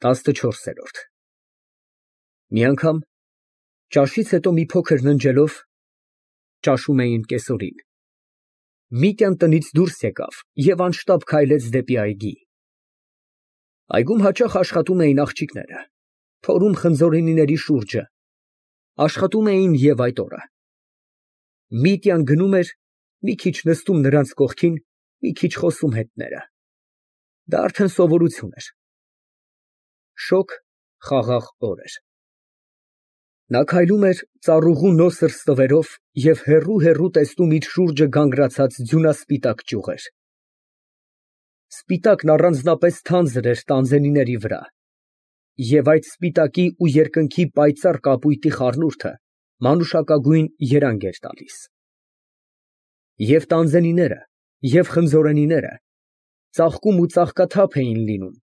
14։ Մի անգամ ճաշից հետո մի փոքր ննջելով (ճաշում էին կեսօրին) Միտյան տնից դուրս եկավ և անշտապ քայլեց դեպի այգի։ Այգում հաճախ աշխատում էին աղջիկները, փորում խնձորենիների շուրջը, աշխատում էին և այդ օրը։ Միտյան գնում էր, մի քիչ նստում նրանց կողքին, մի քիչ խոսում հետները։ Դա արդեն սովորություն էր։ Շոգ, խաղաղ օր էր։ Նա քայլում էր ծառուղու նոսր ստվերով և հեռու տեսնում իր շուրջը գանգրացած ձյունասպիտակ ճյուղեր։ Սպիտակն առանձնապես թանձր էր տանձենիների վրա, և այդ սպիտակի ու երկնքի պայծառ կապույտի խառնուրդը մանուշակագույն երանգ էր տալիս։ Եվ տանձենիները, և խնձորենիները ծաղկում ու ծաղկաթափ էին լինում,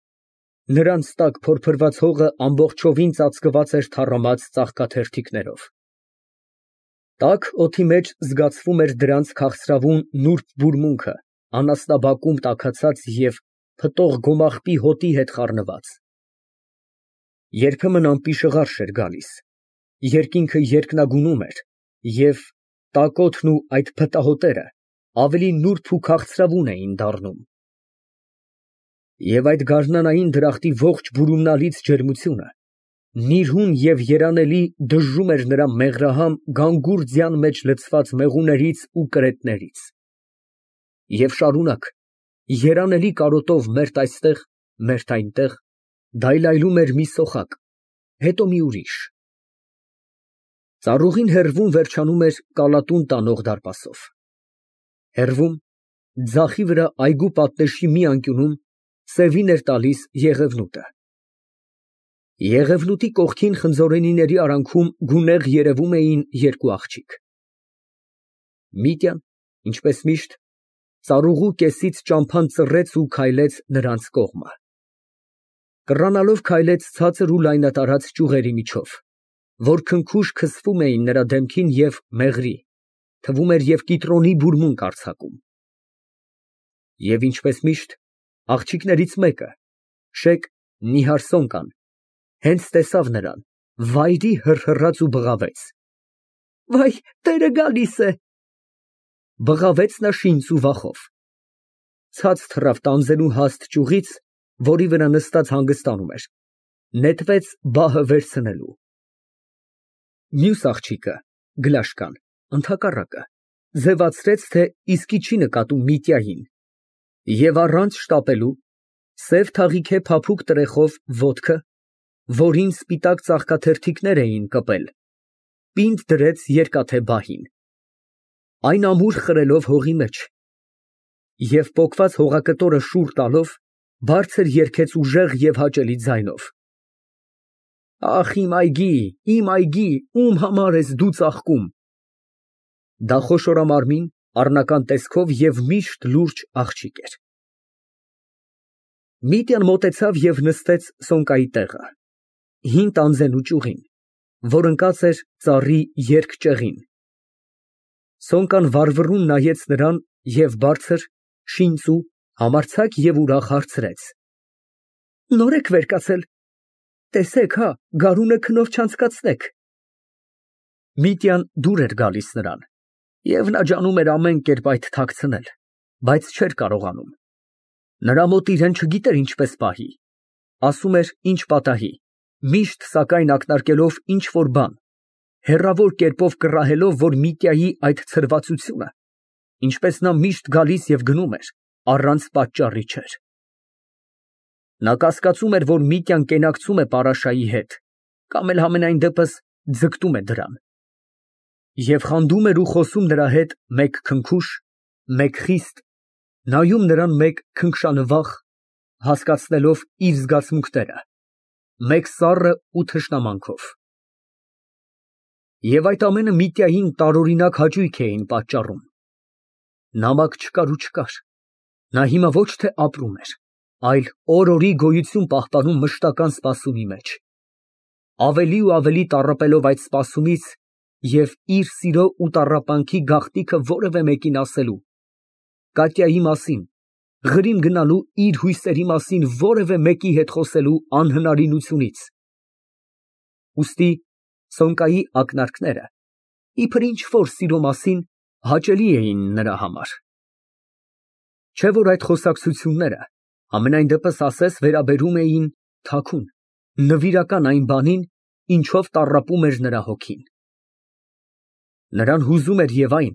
նրանց տակ փորփրված հողը ամբողջովին ծածկված էր թառամած ծաղկաթերթիկներով։ Տաք օդի մեջ զգացվում էր դրանց քաղցրավուն նուրբ բուրմունքը, անասնաբակում տաքացած և փտող գոմաղբի հոտի հետ խառնված։ Երբեմն անպիշղարշ էր գալիս, երկինքը երկնագունում էր, և տակոթն ու այդ փտահոտերը ավելի նուրբ ու քաղցրավուն էին դառնում։ Եվ այդ գարնանային դրախտի ողջ բուրումնալից ջերմությունը նիրհուն և երանելի դժժում էր նրա մեղրահամ գանգուր ձյան մեջ լցված մեղուներից ու կրետներից։ Եվ շարունակ, երանելի կարոտով մերթ այստեղ, մերթ այնտեղ, դայլայլում էր մի սոխակ, հետո մի ուրիշ։ Ծառուղին հեռվում վերջանում էր կալատուն տանող դարպասով։ Հեռվում, ձախի վրա այգու պատնեշի մի անկյունում սևին էր տալիս եղևնուտը։ Եղևնուտի կողքին խնձորենիների արանքում գունեղ երևում էին երկու աղջիկ։ Միտյան, ինչպես միշտ, ծառուղու կեսից ճամփան ծռեց ու քայլեց նրանց կողմը։ Կռանալով քայլեց ցածր ու լայնատարած ճյուղերի միջով, որ քնքուշ քսվում էին նրա դեմքին և մեղրի, թվում էր և կիտրոնի բուրմունք արձակում։ Եվ ինչպես միշտ, աղջիկներից մեկը, շեկ նիհար Սոնկան, հենց տեսավ նրան, վայրի հռհռաց ու բղավեց. «Վայ, տերը գալիս է»։ Բղավեց նա շինծ ու վախով։ Ցած թռավ տանձենու հաստ ճյուղից, որի վրա նստած հանգստանում էր, նետվեց բահը վերցնելու։ Մյուս աղջիկը՝ Գլաշկան, ընդհակառակը, ձևացրեց, թե իսկի չի նկատում Միտյային, և առանց շտապելու, սև թաղիքե փափուկ տրեխով ոտքը, որին սպիտակ ծաղկաթերթիկներ էին կպել, պինդ դրեց երկաթե բահին, այն ամուր խրելով հողի մեջ, և պոկված հողակտորը շուռ տալով, բարձր երգեց ուժեղ և հաճելի ձայնով. «Ախ, իմ այգի, ում համար ես դու ծաղկում»։ Դա խոշորամարմին, առնական տեսքով և միշտ լուրջ աղջիկ էր։ Միտյան մոտեցավ և նստեց Սոնկայի տեղը, հին տանձենու ճյուղին, որ ընկած էր ծառի երկճեղին։ Սոնկան վառվռուն նայեց նրան և բարձր, շինծու, համարձակ և ուրախ հարցրեց. «Նո՞ր եք վեր կացել։ Տեսեք, հա, գարունը քնով չանցկացնեք»։ Միտյան դուր էր գալիս նրան, և նա ջանում էր ամեն կերպ այդ թաքցնել, բայց չէր կարողանում։ Նրա մոտ իրան չգիտեր ինչպես պահի, ասում էր ինչ պատահի, միշտ սակայն ակնարկելով ինչ֊որ բան, հեռավոր կերպով կռահելով, որ Միտյայի այդ ցրվածությունը, ինչպես նա միշտ գալիս և գնում էր, առանց պատճառի չէր։ Նա կասկածում էր, որ Միտյան կենակցում է Պարաշայի հետ, կամ էլ համենայն դեպս ձգտում է դրան։ Եվ խանդում էր ու խոսում նրա հետ մեկ քնքուշ, մեկ խիստ, նայում նրան մեկ քնքշանվախ, հասկացնելով իր զգացմունքները, մեկ սառը ու թշնամանքով։ Եվ այդ ամենը Միտյային տարօրինակ հաճույք էին պատճառում։ Նամակ չկար ու չկար, նա հիմա ոչ թե ապրում էր, այլ օր֊օրի գոյություն պահպանում մշտական սպասումի մեջ, ավելի ու ավելի տառապելով այդ սպասումից և իր սիրո ու տառապանքի գաղտնիքը որևէ մեկին ասելու, Կատյայի մասին, Գրիմ գնալու իր հույսերի մասին որևէ մեկի հետ խոսելու անհնարինությունից։ Ուստի Սոնկայի ակնարկները, իբր ինչ֊որ սիրո մասին, հաճելի էին նրա համար։ Չէ՞ որ այդ խոսակցությունները, համենայն դեպս ասես, վերաբերում էին թաքուն, նվիրական այն բանին, ինչով տառապում էր նրա հոգին։ Նրան հուզում էր և այն,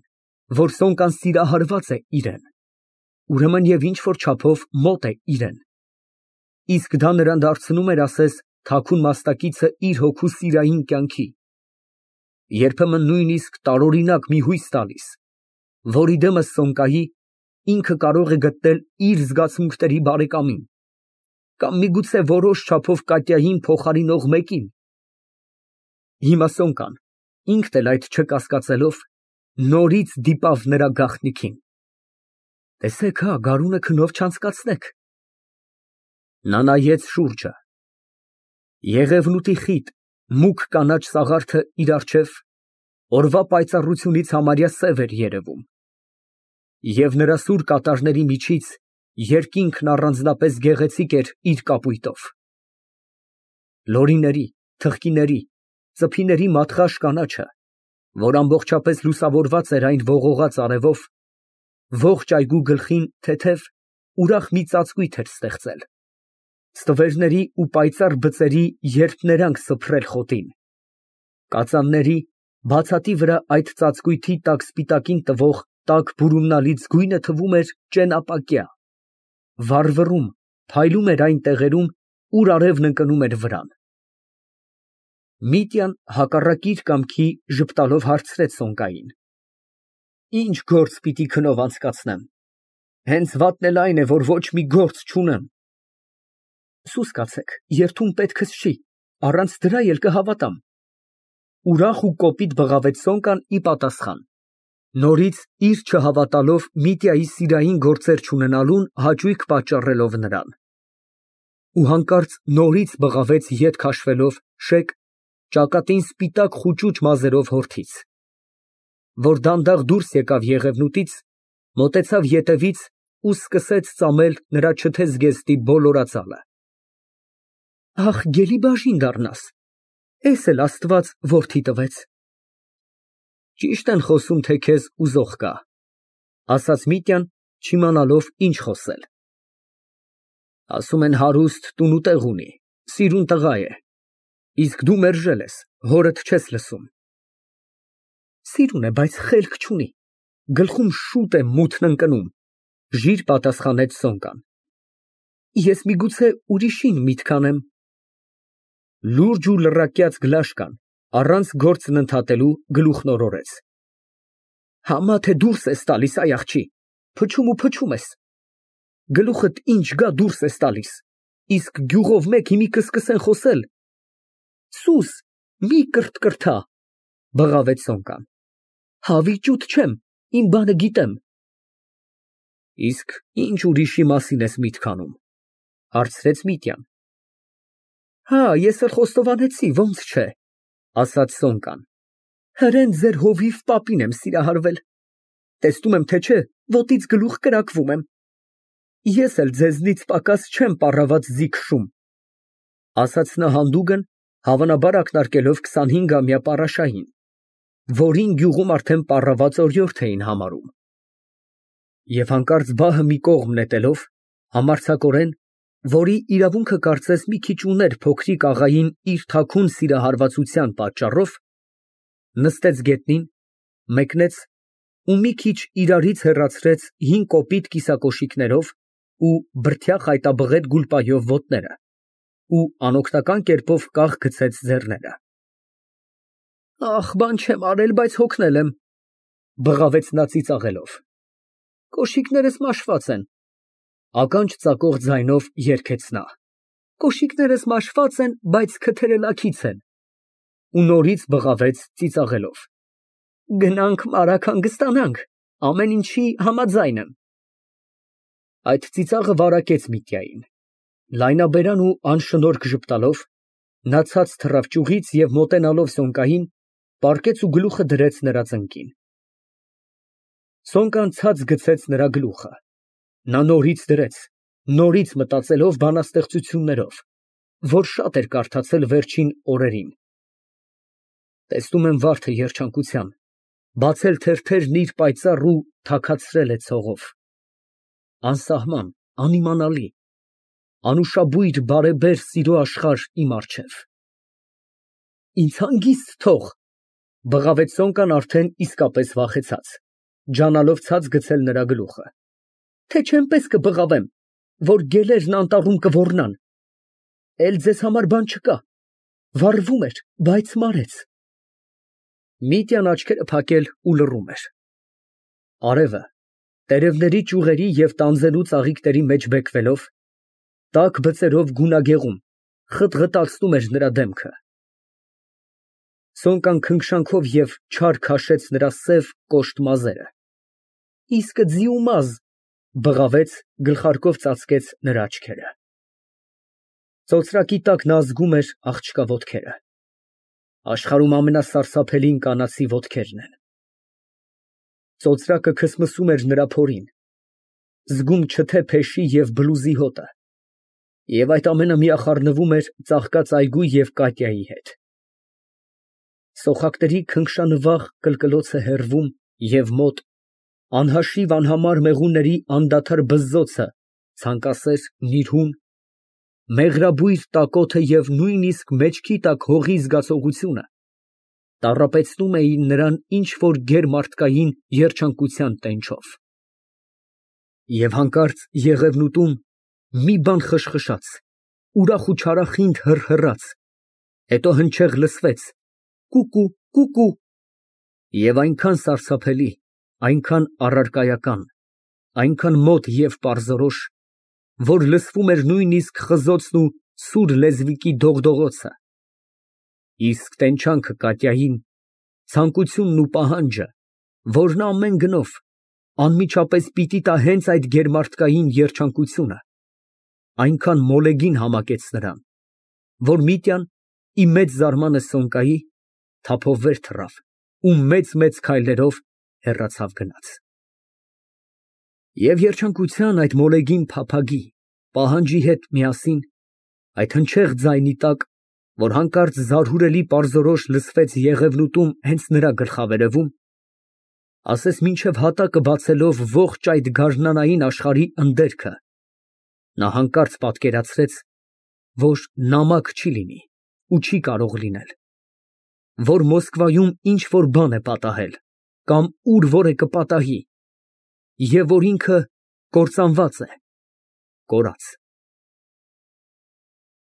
որ Սոնկան սիրահարված է իրան, ուրեմն և ինչ֊որ չափով մոտ է իրան, իսկ դա նրան դարձնում էր, ասես, թաքուն մասնակիցը իր հոգու սիրային կյանքի, երբեմն նույնիսկ տարօրինակ մի հույս տալիս, որի դեմս Սոնկայի ինքը կարող է գտնել իր զգացմունքների բարեկամին, կամ միգուցե որոշ չափով Կատյային փոխարինող մեկին։ Հիմա Սոնկան, ինքն էլ այդ չկասկածելով, նորից դիպավ նրա գաղտնիքին։ Տեսեք, հա, գարունը քնով չանցկացնեք։ Նա նայեց շուրջը։ Եղևնուտի խիտ, մուգ կանաչ սաղարթը իր առջև օրվա պայծառությունից համարյա սև էր երևում, և նրա սուր կատարների միջից երկինքն առանձնապես գեղեցիկ էր իր կապույտով։ Լորիների, թխկիների, ծփիների մատղաշ կանաչը, որ ամբողջապես լուսավորված էր այն ողողած արևով, ողջ այգու գլխին թեթև, ուրախ մի ծածկույթ էր ստեղծել, ստվերների ու պայծառ բծերի երփներանգ սփռել խոտին, կածանների, բացատի վրա այդ ծածկույթի տակ սպիտակին տվող տաք բուրումնալից գույնը թվում էր ճենապակյա, վառվռում, փայլում էր այն տեղերում, ուր արևն ընկնում էր վրան։ Միտյան հակառակ իր կամքի ժպտալով հարցրեց Սոնկային. Ինչ գործ պիտի քնով անցկացնեմ, հենց վատն էլ այն է, որ ոչ մի գործ չունեմ։ Սուս կացեք, երդում պետքս չի, առանց դրա էլ կհավատամ։ Ուրախ ու կոպիտ բղավեց Սոնկան ի պատասխան, նորից իր չհավատալով Միտյայի սիրային գործեր չունենալուն հաճույք պատճառելով նրան։ Ու հանկարծ նորից բղավեց ետ քաշվելով շեկ, ճակատին սպիտակ խուճուճ մազերով հորթից, որ դանդաղ դուրս եկավ եղևնուտից, մոտեցավ ետևից ու սկսեց ծամել նրա չթեզգեստի բոլորածալը։ Ախ, գելի բաժին դառնաս, էս էլ Աստված որդի տվեց։ Ճիշտ են խոսում, թե քեզ ուզող կա, ասաց Միտյան, չիմանալով ինչ խոսել։ Ասում են հարուստ տուն ու տեղ ունի, սիրուն տղա է, իսկ դու մերժել ես, հորդ չես լսում։ Սիրուն է, բայց խելք չունի, գլխում շուտ է մութն ընկնում, ժիր պատասխանեց Սոնկան։ Ես միգուցե ուրիշին միտք անեմ։ Լուրջ ու լռակյաց Գլաշկան, առանց գործն ընդհատելու, գլուխն օրորեց։ Համա թե դուրս ես տալիս, այ աղջի, փչում ու փչում ես։ Գլուխդ ինչ գա դուրս ես տալիս, իսկ գյուղով մեկ հիմի կսկսեն խոսել։ Սուս, մի կրթկրթա, բղավեց Սոնկան։ Հավիճուտ չեմ, իմ բանը գիտեմ։ Իսկ ինչ ուրիշի մասին ես միտք անում, հարցրեց Միտյան։ Հա, ես էլ խոստովանեցի, ոնց չէ, ասաց Սոնկան։ Հրեն ձեր հովիվ պապին եմ սիրահարվել։ Տեսնում եմ, թե չէ, ոտից գլուխ կրակվում եմ։ Ես էլ ձեզնից պակաս չեմ պառաված ձի քշում, ասաց նա հանդուգն, հավանաբար ակնարկելով 25-ամյա Պարաշային, որին գյուղում արդեն պառաված օրիորդ էին համարում։ Եվ հանկարծ բահը մի կողմ նետելով, համարձակորեն, որի իրավունքը կարծես մի քիչ ուներ փոքրիկ աղային իր թաքուն սիրահարվածության պատճառով, նստեց գետնին, մեկնեց ու մի քիչ իրարից հեռացրեց հին կոպիտ կիսակոշիկներով ու բրդյա խայտաբղետ գուլպայով ոտները ու անօգնական կերպով կախ գցեց ձեռները։ Ախ, բան չեմ արել, բայց հոգնել եմ, բղավեց նա ծիծաղելով։ Կոշիկներս մաշված են, ականջ ծակող ձայնով երգեց նա։ Կոշիկներս մաշված են, բայց քթերը լաքից են։ Ու նորից բղավեց ծիծաղելով։ Գնանք մարագ հանգստանանք, ամեն ինչի համաձայն եմ։ Այդ ծիծաղը վարակեց Միտյային։ Լայնաբերան ու անշնորհք ժպտալով, նա ցած թռավ ճյուղից և մոտենալով Սոնկային, պառկեց ու գլուխը դրեց նրա ծնկին։ Սոնկան ցած գցեց նրա գլուխը, Նա նորից դրեց, նորից մտածելով բանաստեղծություններով, որ շատ էր կարդացել վերջին օրերին։ Տեսնում եմ վարդը երջանկության, բացել թերթերն իր պայծառ ու թաքացրել է ցողով։ Անսահման, անիմանալի, անուշաբույր բարեբեր սիրո աշխարհ իմ առջև։ Ինձ հանգիստ թող, բղավեց Սոնկան արդեն իսկապես վախեցած, ջանալով ցած գցել նրա գլուխը, թե չեմպես կբղավեմ, որ գելերն անտառում կոռնան, էլ ձեզ համար բան չկա, վառվում էր, բայց մարեց։ Միտյան աչքերը փակել ու լռում էր։ Արևը, տերևների ճյուղերի և տանձենու ծաղիկների մեջ բեկվելով, տաք բծերով գունագեղում, խտղտացնում էր նրա դեմքը։ Սոնկան քնքշանքով և չար քաշեց նրա սև կոշտ մազերը։ Իսկը ձիումազ, բղավեց, գլխարկով ծածկեց նրա աչքերը։ Ծոծրակի տակ նա զգում էր աղջկա ոտքերը։ Աշխարհում ամենասարսափելին կանացի ոտքերն են։ Ծոծրակը քսմսում էր նրա փորին, զգում չթե փեշի և բլուզի հոտը, և այդ ամենը միախառնվում էր ծաղկած այգու և Կատյայի հետ։ Սոխակների քնքշանվախ կլկլոցը հեռվում և մոտ, անհաշիվ անհամար մեղուների անդադար բզզոցը, ցանկասեր, նիրհուն, մեղրաբույր տակոթը և նույնիսկ մեջքի տակ հողի զգացողությունը տառապեցնում էին նրան ինչ֊որ գերմարդկային երջանկության տենչով։ Եվ հանկարծ եղևնուտում մի բան խշխշաց, ուրախ ու չարախինդ հռհռաց, հետո հնչեղ լսվեց. «Կուկու, կուկու», և այնքան սարսափելի, այնքան առարկայական, այնքան մոտ և պարզորոշ, որ լսվում էր նույնիսկ խզոցն ու սուր լեզվիկի դողդողոցը։ Իսկ տենչանքը Կատյային, ցանկությունն ու պահանջը, որ նա ամեն գնով, անմիջապես պիտի տա հենց այդ գերմարդկային երջանկությունը, այնքան մոլեգին համակեց նրան, որ Միտյան, ի մեծ զարմանքը Սոնկայի, թափով վեր թռավ ու մեծ քայլերով հեռացավ գնաց։ Եվ երջանկության այդ մոլեգին փափագի, պահանջի հետ միասին, այդ հնչեղ ձայնի տակ, որ հանկարծ զարհուրելի պարզորոշ լսվեց եղևնուտում հենց նրա գլխավերևում, ասես մինչև հատակը բացելով ողջ այդ գարնանային աշխարհի ընդերքը, նա հանկարծ պատկերացրեց, որ նամակ չի լինի ու չի կարող լինել, որ Մոսկվայում ինչ֊որ բան է պատահել կամ ուր որ է կպատահի, և որ ինքը կործանված է, կորած։